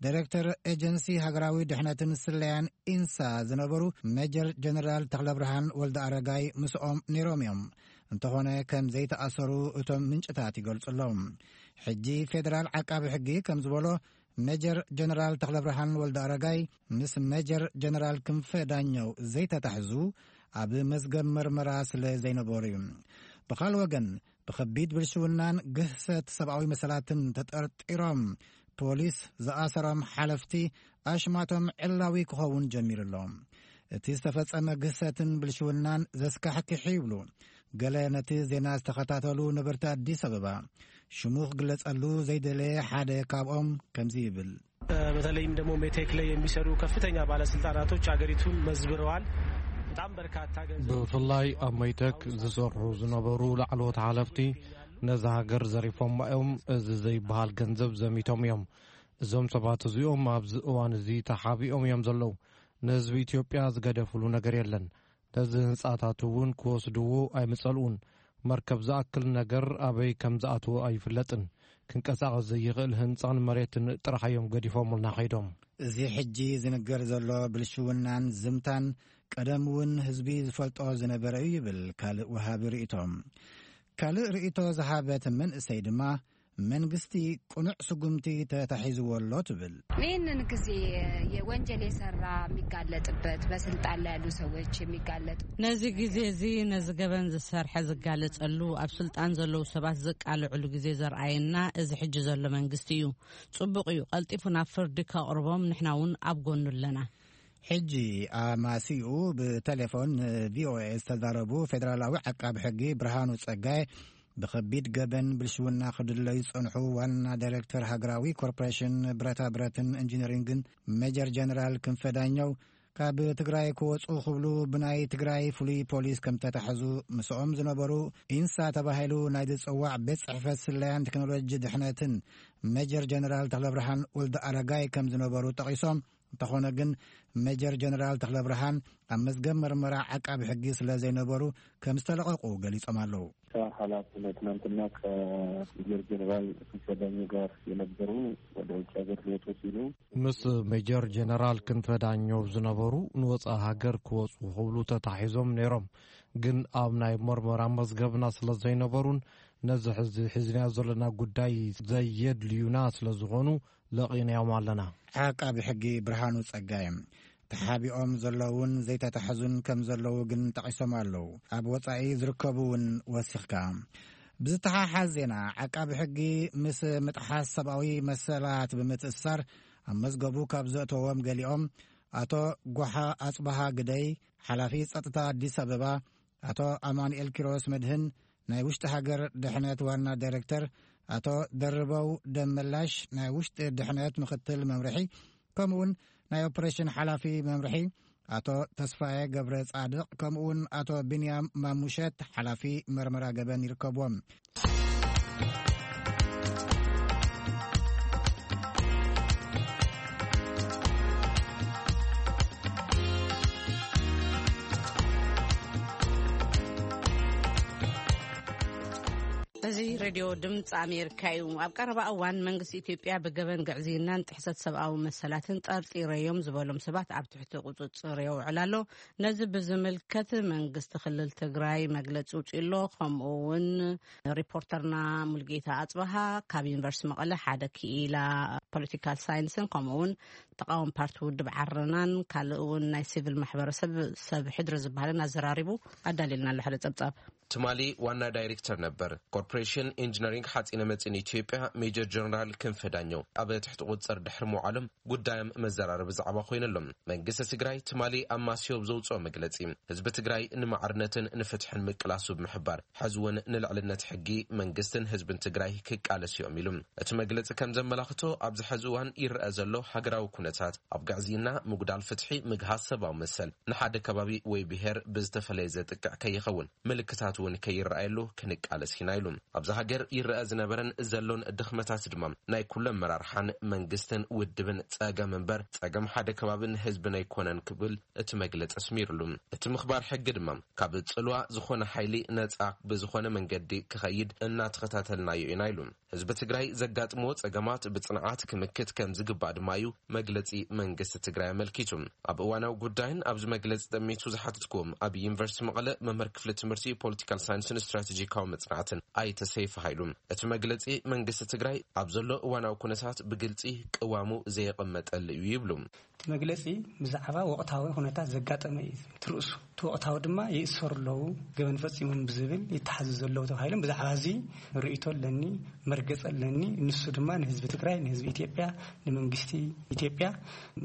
ዳይሬክተር ኤጀንሲ ሃገራዊ ድሕነትን ስለያን ኢንሳ ዝነበሩ ሜጀር ጀነራል ተኽለብርሃን ወልደ ኣረጋይ ምስኦም ነይሮም እዮም። እንተኾነ ከም ዘይተኣሰሩ እቶም ምንጭታት ይገልጹ ኣለዉ። ሕጂ ፌደራል ዓቃቢ ሕጊ ከም ዝበሎ፣ ሜጀር ጀነራል ተኽለብርሃን ወልደ ኣረጋይ ምስ ሜጀር ጀነራል ክንፈ ዳኘው ዘይተታሕዙ ኣብ መዝገብ መርመራ ስለ ዘይነበሩ እዩ። ብኻልእ ወገን፣ ብኸቢድ ብልሽውናን ግህሰት ሰብኣዊ መሰላትን ተጠርጢሮም ፖሊስ ዝኣሰሮም ሓለፍቲ ኣሽማቶም ዕላዊ ክኸውን ጀሚሩ ኣሎ። እቲ ዝተፈጸመ ግህሰትን ብልሽውናን ዘስካሕክሕ ይብሉ ገለ ነቲ ዜና ዝተኸታተሉ ነበርቲ ኣዲስ ኣበባ። ሽሙ ክግለጸሉ ዘይደለየ ሓደ ካብኦም ከምዚ ይብል። በተለይም ደግሞ ሜቴክ ላይ የሚሰሩ ከፍተኛ ባለስልጣናቶች ሀገሪቱን መዝብረዋል። በጣም በርካታ ገንዘብ ብፍላይ ኣብ ሜቴክ ዝሰርሑ ዝነበሩ ላዕለዎት ሓለፍቲ ነዛ ሃገር ዘሪፎማ እዮም። እዚ ዘይበሃል ገንዘብ ዘሚቶም እዮም። እዞም ሰባት እዚኦም ኣብዚ እዋን እዚ ተሓቢኦም እዮም ዘለዉ። ንህዝቢ ኢትዮጵያ ዝገደፍሉ ነገር የለን። ነዚ ህንጻታት እውን ክወስድዎ ኣይምጸልኡን። መርከብ ዝኣክል ነገር ኣበይ ከም ዝኣትዎ ኣይፍለጥን። ክንቀሳቐስ ዘይኽእል ህንጻን መሬትን ጥራሕ እዮም ገዲፎምልና ከይዶም። እዚ ሕጂ ዝንገር ዘሎ ብልሽውናን ዝምታን ቀደም እውን ህዝቢ ዝፈልጦ ዝነበረ እዩ ይብል ካልእ ወሃቢ ርእይቶ። ካልእ ርእይቶ ዝሃበት መንእሰይ ድማ መንግስቲ ቅኑዕ ስጉምቲ ተታሒዝዎ ኣሎ ትብል። ይህንን ጊዜ የወንጀል የሰራ የሚጋለጥበት፣ በስልጣን ላይ ያሉ ሰዎች የሚጋለጡ ነዚ ግዜ እዚ ነዚ ገበን ዝሰርሐ ዝጋለጸሉ ኣብ ስልጣን ዘለዉ ሰባት ዘቃልዕሉ ግዜ ዘርኣየና እዚ ሕጂ ዘሎ መንግስቲ እዩ። ጽቡቕ እዩ፣ ቀልጢፉ ናብ ፍርዲ ከቕርቦም ንሕና እውን ኣብ ጎኑ ኣለና። ሕጂ ኣማሲኡ ብቴሌፎን ንቪኦኤ ዝተዛረቡ ፌደራላዊ ዓቃቢ ሕጊ ብርሃኑ ጸጋይ፣ ብኸቢድ ገበን ብልሽውና ክድለዩ ዝጸንሑ ዋና ዳይሬክተር ሃገራዊ ኮርፖሬሽን ብረታ ብረትን ኢንጂነሪንግን ሜጀር ጀነራል ክንፈ ዳኘው፣ ካብ ትግራይ ክወጹ ክብሉ ብናይ ትግራይ ፍሉይ ፖሊስ ከም ተታሕዙ፣ ምስኦም ዝነበሩ ኢንሳ ተባሂሉ ናይ ዝጽዋዕ ቤት ጽሕፈት ስለያን ቴክኖሎጂ ድሕነትን ሜጀር ጀነራል ተኽለብርሃን ወልደ ኣረጋይ ከም ዝነበሩ ጠቒሶም፣ እንተኾነ ግን ሜጀር ጀነራል ተኽለብርሃን ኣብ መዝገብ መርመራ ዓቃቢ ሕጊ ስለ ዘይነበሩ ከም ዝተለቐቑ ገሊጾም ኣለዉ። ኃላፊ ትናንትና ከሜጀር ጀነራል ክንፈ ዳኘው ጋር የነበሩ ወደ ውጭ ሀገር ሊወጡ ሲሉ ምስ ሜጀር ጀነራል ክንፈ ዳኘው ዝነበሩ ንወፃኢ ሃገር ክወፁ ክብሉ ተታሒዞም ነይሮም። ግን ኣብ ናይ መርመራ መዝገብና ስለ ዘይነበሩን ነዚ ሕዚ ሒዝናዮ ዘለና ጉዳይ ዘየድልዩና ስለ ዝኾኑ ለቒናዮም ኣለና። ዓቃቢ ሕጊ ብርሃኑ ጸጋይ፣ ተሓቢኦም ዘለውን ዘይተታሕዙን ከም ዘለዉ ግን ጠቒሶም ኣለዉ። ኣብ ወጻኢ ዝርከቡ እውን ወሲኽካ። ብዝተሓሓዝ ዜና፣ ዓቃቢ ሕጊ ምስ ምጥሓስ ሰብኣዊ መሰላት ብምትእስሳር ኣብ መዝገቡ ካብ ዘእተዎም ገሊኦም፣ ኣቶ ጓሓ ኣጽብሃ ግደይ፣ ሓላፊ ጸጥታ ኣዲስ ኣበባ፣ ኣቶ ኣማኑኤል ኪሮስ መድህን፣ ናይ ውሽጢ ሃገር ድሕነት ዋና ዳይሬክተር፣ ኣቶ ደርበው ደመላሽ፣ ናይ ውሽጢ ድሕነት ምኽትል መምርሒ፣ ከምኡውን ናይ ኦፕሬሽን ሓላፊ መምርሒ፣ ኣቶ ተስፋዬ ገብረ ጻድቕ፣ ከምኡውን ኣቶ ቢንያም ማሙሸት፣ ሓላፊ መርመራ ገበን ይርከብዎም። እዚ ሬድዮ ድምፂ ኣሜሪካ እዩ። ኣብ ቀረባ እዋን መንግስቲ ኢትዮጵያ ብገበን ግዕዝይናን ጥሕሰት ሰብኣዊ መሰላትን ጠርጢረዮም ዝበሎም ሰባት ኣብ ትሕቲ ቁፅፅር የውዕል ኣሎ። ነዚ ብዝምልከት መንግስቲ ክልል ትግራይ መግለፂ ውፅኡ ኣሎ። ከምኡ እውን ሪፖርተርና ሙልጌታ ኣፅበሃ ካብ ዩኒቨርሲቲ መቐለ ሓደ ክኢላ ፖለቲካል ሳይንስን ከምኡ እውን ተቃዋሚ ፓርቲ ውድብ ዓረናን ካልእ እውን ናይ ሲቪል ማሕበረሰብ ሰብ ሕድሪ ዝበሃልን ኣዘራሪቡ ኣዳልየልና ኣሎ ሓደ ጸብጻብ። ትማሊ ዋና ዳይሬክተር ነበር ኮርፖሬሽን ኢንጂነሪንግ ሓፂነ መፂን ኢትዮጵያ ሜጀር ጀነራል ክንፈ ዳኘው ኣብ ትሕቲ ቁፅር ድሕሪ ምውዓሎም ጉዳዮም መዘራረቢ ዛዕባ ኮይነሎም። መንግስቲ ትግራይ ትማሊ ኣብ ማስዮብ ዘውፅኦ መግለፂ፣ ህዝቢ ትግራይ ንማዕርነትን ንፍትሕን ምቅላሱ ብምሕባር፣ ሕዚ እውን ንልዕልነት ሕጊ መንግስትን ህዝብን ትግራይ ክቃለስ እዮም ኢሉ። እቲ መግለፂ ከም ዘመላኽቶ፣ ኣብዚ ሕዚ እዋን ይረአ ዘሎ ሃገራዊ ኩነታት ኣብ ግዕዝይና፣ ምጉዳል ፍትሒ፣ ምግሃስ ሰብኣዊ መሰል፣ ንሓደ ከባቢ ወይ ብሄር ብዝተፈለየ ዘጥቅዕ ከይኸውን፣ ምልክታት እውን ከይረኣየሉ ክንቃለስ ኢና ኢሉ። ኣብዛ ሃገር ይረአ ዝነበረን ዘሎን ድኽመታት ድማ ናይ ኩሎም መራርሓን መንግስትን ውድብን ጸገም እምበር፣ ጸገም ሓደ ከባብን ህዝብን ኣይኮነን ክብል እቲ መግለጺ ኣስሚሩሉ። እቲ ምኽባር ሕጊ ድማ ካብ ጽልዋ ዝኾነ ሓይሊ ነጻ ብዝኾነ መንገዲ ክኸይድ እናተኸታተልናዮ ኢና ኢሉ። ህዝቢ ትግራይ ዘጋጥምዎ ጸገማት ብጽንዓት ክምክት ከም ዝግባእ ድማ እዩ መግለጺ መንግስቲ ትግራይ ኣመልኪቱ። ኣብ እዋናዊ ጉዳይን ኣብዚ መግለጺ ጠሚቱ ዝሓተትኩዎም ኣብ ዩኒቨርሲቲ መቐለ መምህር ክፍሊ ትምህርቲ ፖለቲካል ሳይንስን ስትራቴጂካዊ መጽናዕትን ኣይተ ሰይፈ ሃይሉ፣ እቲ መግለጺ መንግስቲ ትግራይ ኣብ ዘሎ እዋናዊ ኩነታት ብግልጺ ቅዋሙ ዘየቐመጠሉ እዩ ይብሉ። እቲ መግለጺ ብዛዕባ ወቕታዊ ኩነታት ዘጋጠመ እዩ ትርእሱ። እቲ ወቕታዊ ድማ ይእሰሩ ኣለዉ፣ ገበን ፈጺሞም ብዝብል ይተሓዙ ዘለዉ ተባሂሎም። ብዛዕባ እዚ ርእይቶ ኣለኒ፣ መርገጽ ኣለኒ። ንሱ ድማ ንህዝቢ ትግራይ፣ ንህዝቢ ኢትዮጵያ፣ ንመንግስቲ ኢትዮጵያ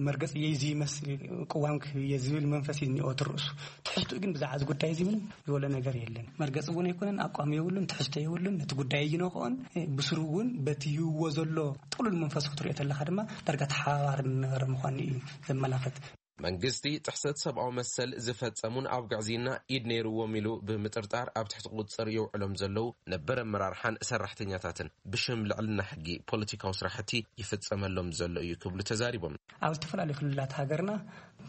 መርገጽ እየ፣ እዚ ይመስል ቅዋም ክህብ እየ ዝብል መንፈስ እዩ እኒኦ ትርእሱ። ትሕዝትኡ ግን ብዛዕባ እዚ ጉዳይ እዚ ምንም ዝበሎ ነገር የለን። መርገጽ እውን ኣይኮነን፣ ኣቋም የብሉን፣ ትሕዝቶ የብሉን። ነቲ ጉዳይ ኣይነቕኦን። ብስሩ እውን በቲ ይህዎ ዘሎ ጥሉል መንፈስ ክትሪኦ ተለኻ ድማ ዳርጋ ተሓባባሪ ዝነበረ ምዃኑ እዩ ዘመላኽት። መንግስቲ ጥሕሰት ሰብኣዊ መሰል ዝፈጸሙን ኣብ ግዕዝይና ኢድ ነይርዎም ኢሉ ብምጥርጣር ኣብ ትሕቲ ቁጽጽር የውዕሎም ዘለዉ ነበር ኣመራርሓን ሰራሕተኛታትን ብሽም ልዕልና ሕጊ ፖለቲካዊ ስራሕቲ ይፍጸመሎም ዘሎ እዩ ክብሉ ተዛሪቦም። ኣብ ዝተፈላለዩ ክልላት ሃገርና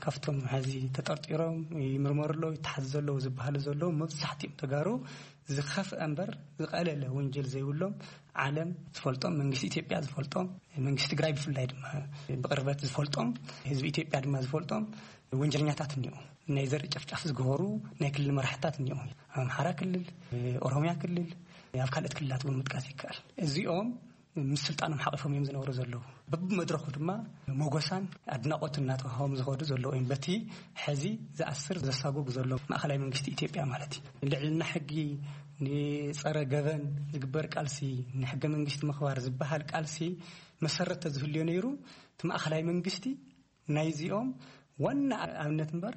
ካብቶም ሕዚ ተጠርጢሮም ይምርመሩ ኣለዉ፣ ይተሓዙ ዘለዉ ዝበሃሉ ዘለዉ መብዛሕትኦም ተጋሩ ዝኸፍአ እምበር ዝቐለለ ወንጀል ዘይብሎም፣ ዓለም ዝፈልጦም፣ መንግስቲ ኢትዮጵያ ዝፈልጦም፣ መንግስቲ ትግራይ ብፍላይ ድማ ብቕርበት ዝፈልጦም፣ ህዝቢ ኢትዮጵያ ድማ ዝፈልጦም ወንጀለኛታት እኒኦ። ናይ ዘርኢ ጨፍጫፍ ዝገበሩ ናይ ክልል መራሕታት እኒኦ። ኣምሓራ ክልል፣ ኦሮሚያ ክልል፣ ኣብ ካልኦት ክልላት እውን ምጥቃስ ይከኣል። እዚኦም ምስ ስልጣኖም ሓቒፎም እዮም ዝነብሩ ዘለዉ። በብመድረኹ ድማ ሞጎሳን ኣድናቖትን እናተዋህቦም ዝኸዱ ዘለዉ እዮም። በቲ ሕዚ ዝኣስር ዘሳጉግ ዘሎ ማእኸላይ መንግስቲ ኢትዮጵያ ማለት እዩ። ልዕልና ሕጊ፣ ንጸረ ገበን ዝግበር ቃልሲ፣ ንሕገ መንግስቲ ምኽባር ዝበሃል ቃልሲ መሰረት ተዝህልዮ ነይሩ፣ እቲ ማእኸላይ መንግስቲ ናይዚኦም ዋና ኣብነት እምበር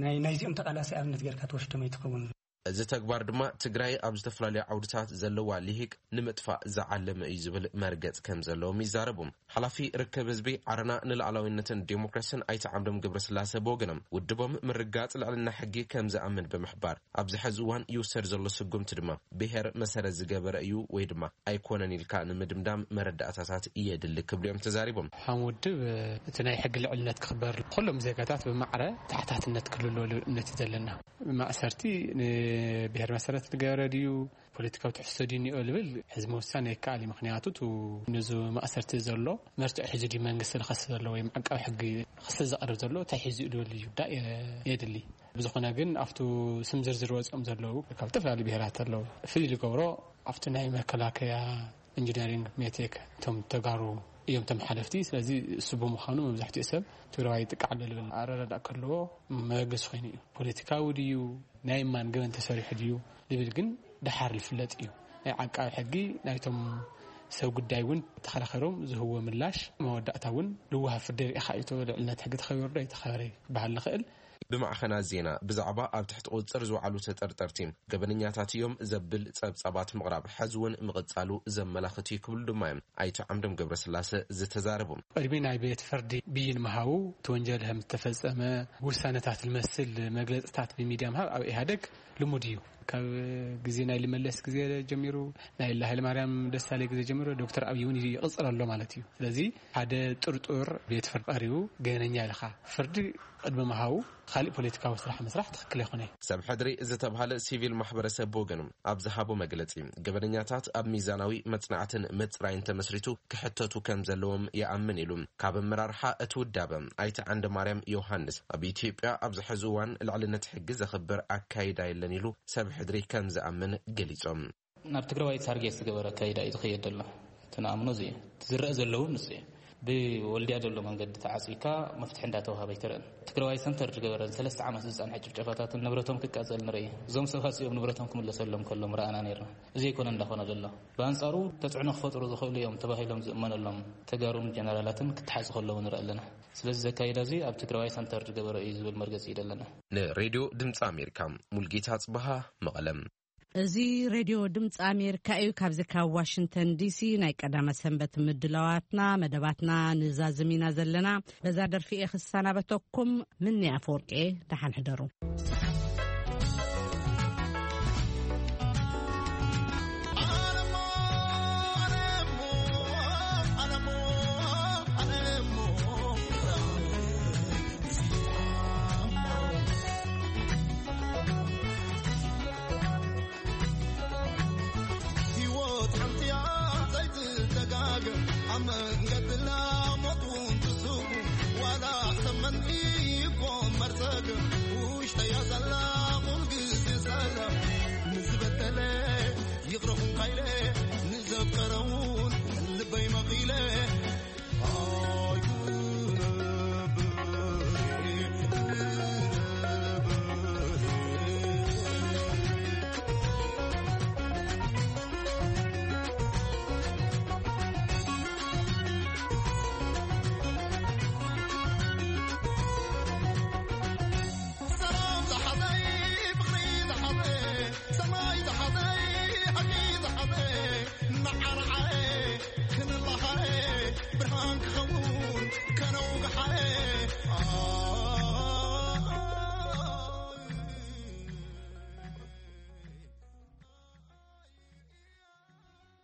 ናይ ናይዚኦም ተቓላሲ ኣብነት ጌርካ ትወስዶም ኣይትኸውን። እዚ ተግባር ድማ ትግራይ ኣብ ዝተፈላለዩ ዓውድታት ዘለዋ ልሂቅ ንምጥፋእ ዝዓለመ እዩ ዝብል መርገጽ ከም ዘለዎም ይዛረቡ። ሓላፊ ርክብ ህዝቢ ዓረና ንላዕላዊነትን ዴሞክራሲን ኣይተ ዓምዶም ገብረስላሴ ብወገኖም ውድቦም ምርጋጽ ልዕልና ሕጊ ከም ዝኣምን ብምሕባር ኣብዚ ሕዚ እዋን ይውሰድ ዘሎ ስጉምቲ ድማ ብሄር መሰረት ዝገበረ እዩ ወይ ድማ ኣይኮነን ኢልካ ንምድምዳም መረዳእታታት የድሊ ክብሉ እዮም ተዛሪቦም። ሓም ውድብ እቲ ናይ ሕጊ ልዕልነት ክኽበር ኩሎም ዜጋታት ብማዕረ ተሓታትነት ክልሎ ልብል እምነት እዩ ዘለና። ማእሰርቲ ንብሔር መሰረት ዝገበረ ድዩ፣ ፖለቲካዊ ትሕዝቶ ድዩ እኒኦ ልብል ሕዚ ምውሳን ኣይከኣል እዩ። ምኽንያቱ እቲ ነዚ ማእሰርቲ ዘሎ መርትዖ ሒዙ ድዩ መንግስቲ ዝኸስ ዘሎ ወይ ዓቃቢ ሕጊ ክሲ ዘቕርብ ዘሎ እንታይ ሒዙ እዩ ልብል እዩ ዳ የድሊ። ብዝኾነ ግን ኣብቱ ስም ዝርዝር ወፂኦም ዘለዉ ካብ ዝተፈላለዩ ብሔራት ኣለዉ። ፍልይ ዝገብሮ ኣብቲ ናይ መከላከያ ኢንጂነሪንግ ሜቴክ እቶም ተጋሩ እዮም እቶም ሓለፍቲ። ስለዚ እሱ ብምዃኑ መብዛሕትኡ ሰብ ትግራዋይ ይጥቃዕ ኣሎ ልብል ኣረዳዳእ ከለዎ መበገሲ ኮይኑ እዩ። ፖለቲካዊ ድዩ ናይ ማን ገበን ተሰሪሑ ድዩ ልብል ግን ደሓር ዝፍለጥ እዩ። ናይ ዓቃቢ ሕጊ ናይቶም ሰብ ጉዳይ እውን ተኸራኸሮም ዝህዎ ምላሽ መወዳእታ እውን ልዋሃ ፍርዲ ርኢኻ እዩ ተበለ ልዕልነት ሕጊ ተኸቢሩ ዶ ኣይተኸበረ ክበሃል ንኽእል። ብማዕኸናት ዜና ብዛዕባ ኣብ ትሕቲ ቁፅፅር ዝወዓሉ ተጠርጠርቲ ገበነኛታት እዮም ዘብል ፀብፃባት ምቕራብ ሕዚ እውን ምቕፃሉ ዘመላኽት እዩ ክብሉ ድማ እዮም ኣይተ ዓምዶም ገብረስላሰ ዝተዛረቡ። ቅድሚ ናይ ቤት ፍርዲ ብይን ምሃቡ እቲ ወንጀል ከም ዝተፈፀመ ውሳነታት ዝመስል መግለፅታት ብሚድያ ምሃብ ኣብ ኢህኣደግ ልሙድ እዩ። ካብ ግዜ ናይ ልመለስ ግዜ ጀሚሩ፣ ናይ ላሃይለ ማርያም ደሳለ ግዜ ጀሚሩ ዶክተር ኣብይ እውን ይቕፅል ኣሎ ማለት እዩ። ስለዚ ሓደ ጥርጡር ቤት ፍርዲ ቀሪቡ ገበነኛ ኢልካ ፍርዲ ቅድሚ ምሃቡ ካሊእ ፖለቲካዊ ስራሕ ምስራሕ ትኽክል ኣይኮነ። ሰብ ሕድሪ ዝተባሃለ ሲቪል ማሕበረሰብ ብወገኑ ኣብ ዝሃቦ መግለፂ ገበነኛታት ኣብ ሚዛናዊ መፅናዕትን ምፅራይን ተመስሪቱ ክሕተቱ ከም ዘለዎም ይኣምን ኢሉ። ካብ ኣመራርሓ እቲ ውዳበ ኣይተ ዓንደ ማርያም ዮሃንስ ኣብ ኢትዮጵያ ኣብዚ ሕዚ እዋን ልዕልነት ሕጊ ዘኽብር ኣካይዳ የለን ኢሉ ሰብ ሕድሪ ከም ዝኣምን ገሊፆም። ናብ ትግራዋይ ታርጌት ዝገበረ ኣካይዳ እዩ ዝኸየድ ዘሎ። እቲ ንኣምኖ እዚ እዩ። እቲ ዝረአ ዘለውን ንሱ እዩ። ብወልድያ ዘሎ መንገዲ ተዓፂካ መፍትሒ እንዳተዋሃበ ኣይትረአን። ትግራዋይ ሰንተር ዝገበረን ሰለስተ ዓመት ዝፀንሐ ጭፍጨፋታትን ንብረቶም ክቃፀል ንርኢ። እዞም ሰባት እዚኦም ንብረቶም ክምለሰሎም ከሎም ረኣና ነይርና። እዚ ኣይኮነ እንዳኾነ ዘሎ። ብኣንፃሩ ተፅዕኖ ክፈጥሩ ዝኽእሉ እዮም ተባሂሎም ዝእመነሎም ተጋሩን ጀነራላትን ክተሓዙ ከለዉ ንርኢ ኣለና። ስለዚ ዘካይዳ እዚ ኣብ ትግራዋይ ሰንተር ዝገበረ እዩ ዝብል መርገፂ እዩ ዘለና። ንሬድዮ ድምፂ ኣሜሪካ ሙልጌታ ጽበሃ መቐለም። እዚ ሬድዮ ድምፂ ኣሜሪካ እዩ። ካብዚ ካብ ዋሽንግተን ዲሲ ናይ ቀዳመ ሰንበት ምድላዋትና መደባትና ንዛዝም ኢና ዘለና። በዛ ደርፊ እየ ክሰናበተኩም። ምኒ ኣፈወርቂ፣ ደሓን ሕደሩ። ህይወት ሓንቲ እያ ዘይትደጋገም፣ ኣብ መንገድና ሞት እውን ትስጉም፣ ዋላ ሰብ መን'i ይኮን መርዘግ፣ ውሽጠያ ዘላ ኩል ግዜ ሰላም። ንዝበደለ ይቕረ ኹንካ ኢለ፣ ንዘፍቀረ እውን ልበይ መቒለ፣ ኣይክነብር።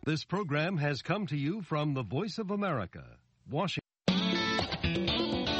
This program has come to you from the Voice of America, Washington.